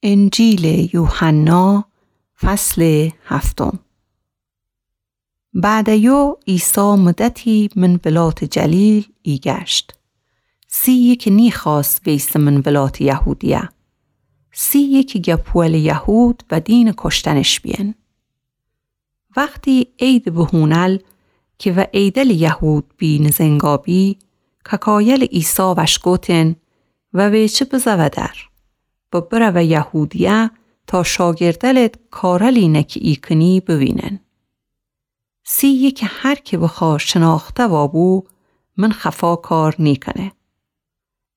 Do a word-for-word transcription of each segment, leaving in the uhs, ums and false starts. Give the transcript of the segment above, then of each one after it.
انجیلٚ یوحنا، فصلٚ هفتم. بعدٚ یو عیسی مدتی من ولاتٚ جلیل ایگشت. سی یکٚ نیخوأست ویسه من ولاتٚ یهودیه. سی یکٚ گه پوئلٚ یهود و دینٚ کشتنش بیین. وختی عیدٚ بهونل کی و عیدلٚ یهود بی نزنگا بی، کاکایلٚ عیسی وش گوتن و ویچه بزه ودر و بره و یهودیه تا شاگردلت کارلی نه کی ایکنی بوینن. سی یکٚ هر کی بخوا شناخته وابو، من خفا کار نیکنه.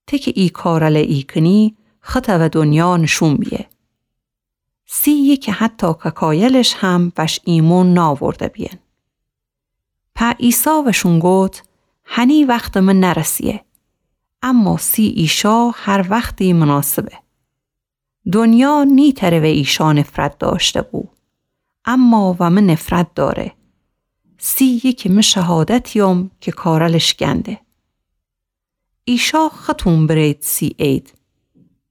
ته کی ای کارل ایکنی، خطه و دنیا نشون بیه. سی یکٚ حتی کاکایلش هم وش ایمون ناورده بیین. په عیسی وشون گوت، هنی وختٚ من نرسیه، اما سی ایشا هر وختی مناسبه. دنیا نیتره و ایشا نفرت داشته بو، اما و من نفرت داره. سی یکٚ من شهادتیوم کی کارلش گنده. ایشا ختون برید سی عید.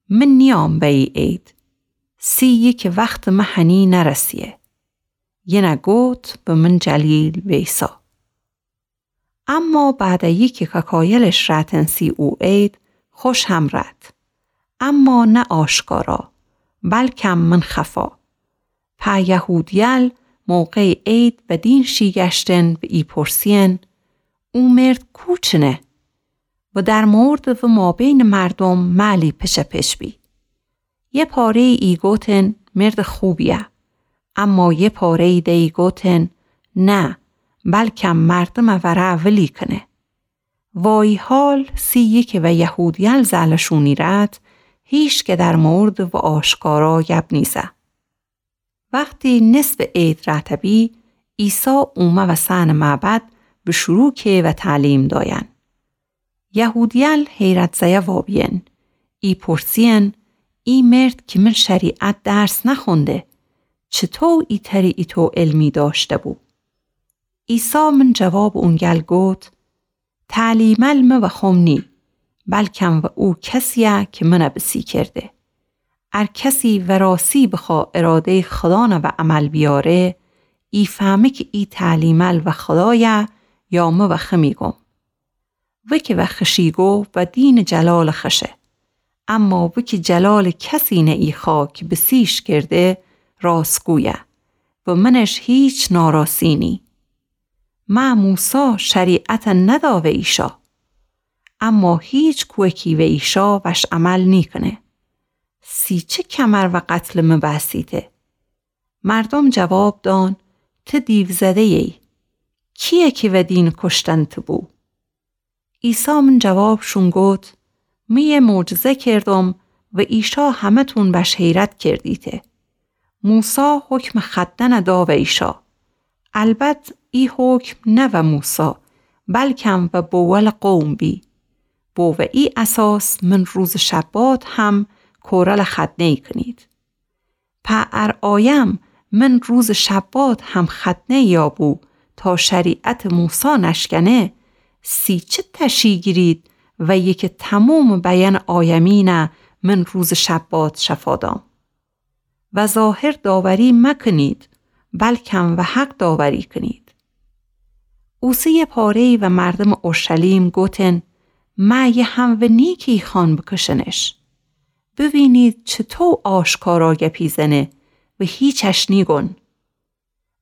من نیام به ای عید. سی یکٚ وختٚ من هنی نرسیه. ینه گوت به من جلیل ویسا. اما بعدٚ یکی کاکایلش رأتن سی او عید، خوش هم رأت. اما نه آشکارا، بلکم من خفا. په یهودیل موقعٚ عید و دین شیگشتن و ایپرسین، او مرد کوچنه؟ و در موردٚ و مابینٚ مردم معلی پچه پچ بی. یه پاره‌یی ایگوتن مردٚ خوبیه، اما یه پاره‌یی ده ایگوتن نه، بلکم مردمٚ وره ولی کنه. وایی حال سی یکٚ و یهودیل زلشونی رأت، هیچ که در موردٚ و آشکارا گب نیزه. وختی نصفٚ عید رأته‌بی، عیسی اومه و سنٚ معبد بشروع که و تعلیم داین. یهودیل حیرت زیه وابیین، ایپرسیین، ای مرد کی من شریعت درس نخونده، چطو ایتری ایتو علمی داشته بو؟ عیسی من جوابٚ اونگل گوت، تعلیمل مه وخوم نی، بلکم و او کسیه کی منه بسی کرده. ار کسی وراسی بخوا اراده‌یٚ خدانه و عمل بیاره، ایفهمه کی ای تعلیمل و خدایه یا مه وخه میگم. وکی وخشیگو و دینٚ جلالٚ خشه. اما وکی جلالٚ کسی نه ایخوا کی بسیش کرده، راستگویه و منش هیچ ناراسی نی. مه موسی شریعت ندا و ایشا، اما هیچ کوکی و ایشا وش عمل نیکنه. سی چه کمر و قتلٚ مه بأسیته؟ مردم جواب دان، ته دیوزده‌یی. کیه کی و دینٚ کشتن ته بو؟ عیسی من جوابشون گوت، مه یه معجزه کردم و ایشا همه‌تون وش حیرت کردیته. موسی حکمٚ ختنه دا و ایشا. البت ای حکم نه و موسی، بلکم و بوولٚ قوم بی. بو و ای اساس من روزٚ شبات هم کورلٚ ختنه‌یی کنید. په ار آیم من روزٚ شبات هم ختنه‌یی یابو تا شریعتٚ موسی نشکنه، سی چه تشی گیرید و یکی تمومٚ بیأنٚ آیمینه من روزٚ شبات شفا دام. و ظاهر داوری مکنید، بلکم و حق داوری کنید. اوسه یه پاره‌یی و مردمٚ اورشلیم گوتن، مه یه هم و نی کی ایخوان بکشنش. بوینید چطو آشکارا گپی زنه و هیچش نیگون.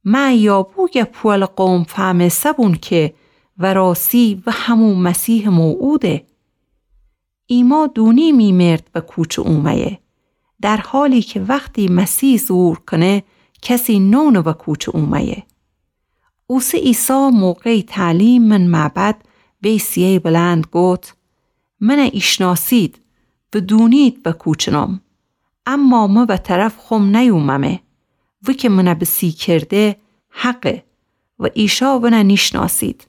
مه یابو گه پوئلٚ قوم فهمسه‌بون کی وراسی و همو مسیحٚ موعوده. ایما دونیم ای مرد و کوچه اومه‌یه، در حالی کی وختی مسیح ظهور کنه، کسی نونه و کوچه اومه‌یه. اوسه عیسی موقعٚ تعلیم من معبد وی صیه‌یٚ بلند گوت، منه ایشناسید و دونید و کوچنم، اما مه و طرف خوم نیوممه. وکی منه بسی کرده حقه و ایشا ونه نیشناسید.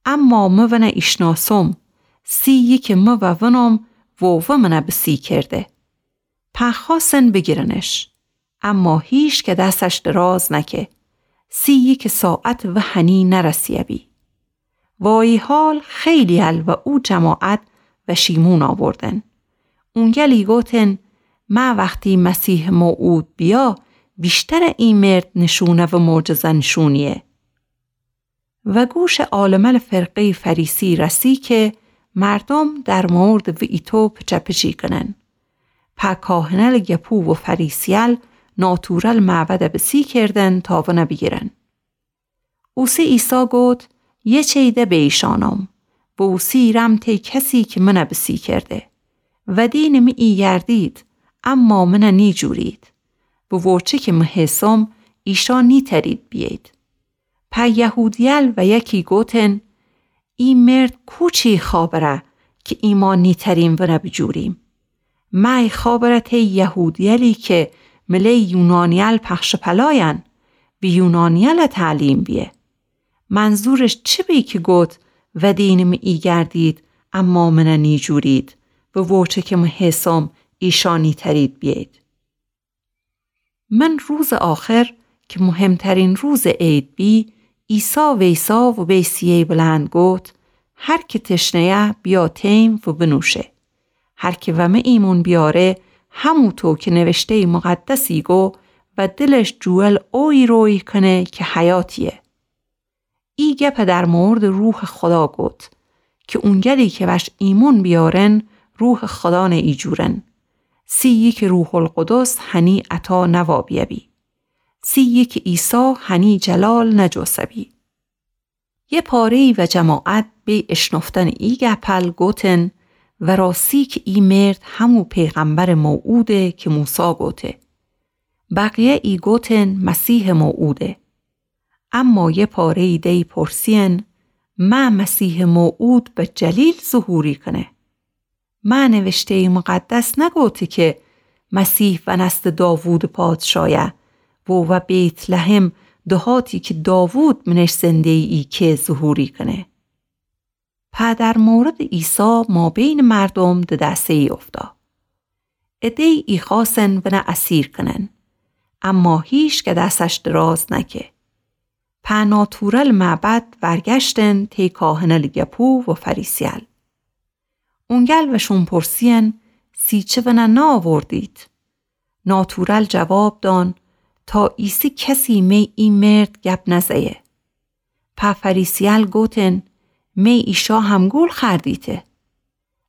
اما مه ونه ایشناسم، سی یکٚ مه و ونم و و منه بسی کرده. په خوأستن بیگیرنش، اما هیچ که دسش دراز نکه، سی یکٚ ساعت و هنی نرسیه‌بی. وایی حال خیلی ال و او جماعت وشیمون آوردن. اونگلی گوتن، مه وختی مسیحٚ موعود بیه، ویشتر ای مرد نشونه و معجزه نشونیه. و گوشٚ عالمل فرقه‌یٚ فریسی رسی کی مردوم در موردٚ ویتو پچه‌پچی کنن. په کاهنل گپو و فریسیل ناتورل معبد بسی کردن تا ون بیگیرن. اوسی عیسی گفت: یه چی ده به ایشانم و اوسی رم تی کسی کی من بسی کرده. ودینٚ می ای گردید، اما من نیجورید و ووچه کی می هیسم ایشا نیترید بیید. په یهودیل و یکی گوتن: ای مرد کوچی خابره کی ایما نیتریم ون بجوریم؟ می خابره تی یهودیلی کی مله یونانیل پخش پلاین و یونانیل تعلیم بیه. منظورش چی بی کی گوت: ودینٚ می ای گردید، اما من نیجورید و ووچه کی می هیسم ایشا نیترید بیید؟ من روزٚ آخر کی مهمترین روزٚ عید بی، عیسی ویسا و به صیحه‌یٚ بلند گوت: هر کی تشنه‌یه بیا تیم و بنوشه. هر کی و می ایمون بیاره، هموطو کی نوشته‌یٚ مقدسی گو و دلش جوول اویی رویی کنه کی حیاتیه. ای گپ در موردٚ روحٚ خدا گوت کی اونگلی کی وش ایمون بیارن، روحٚ خدا نه ایجورن. سیی کی روح‌القدس هنی عطا نوا بیه‌بی. سیی کی عیسی هنی جلال نجوسه‌بی. یه پاره‌یی و جماعت به اشنفتنٚ ای گپل گوتن: و راستی کی ای مرد همو پیغمبرٚ موعوده کی موسی گوته. بقیه ای گوتن: مسیحٚ موعوده. اما یه پاره‌یی دی پرسین: مه مسیحٚ موعود به جلیل ظهوری کنه؟ مه نوشته‌یٚ مقدس نگوته کی مسیح ونستٚ داوودٚ پادشایه و و بیت‌لحم، دهاتی کی داوود منش زنده‌یی، کی ظهوری کنه؟ په در موردٚ عیسی مابینٚ مردوم ددسه‌یی اوفتا. عده‌یی ایخوأستن ون اسیر کنن، اما هیکس دسش دراز نکه. په ناتورل معبد ورگشتن تی کاهنل گپو و فریسیل. اونگل وشون پرسین: سیچه ون نأوردید؟ ناتورل جواب دان: تا ایسی کسی می ای مرد گپ نزه‌یه. په فریسیل گوتن: می ایشا همگول خوأردیته.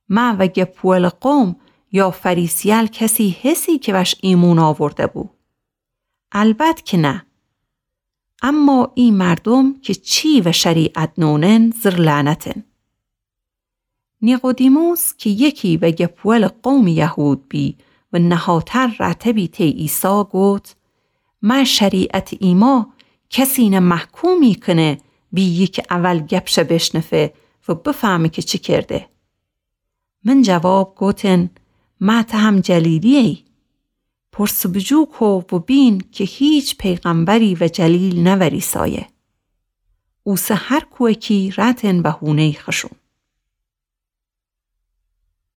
مه و گپولٚ قوم یا فریسیل کسی هسی کی وش ایمون آورده‌بو؟ البت کی نه. اما ای مردوم کی چی و شریعت نونن، زر لعنتن. نیقودیموس کی یکی و گپولٚ قومٚ یهود بی و نهاتر رأتبی تی عیسی گوت: مه شریعتٚ ایما کسینه محکومی کنه بیی کی اول گپشه بیشنفه و بفهمه کی چی کرده. من جواب گوتن: مه ته هم جلیلی‌یی؟ پرس بجو کو و بین کی هیچ پیغمبری و جلیل نوریسایه. اوسه هر کویکی رأتن و هونه‌یٚ خوشون.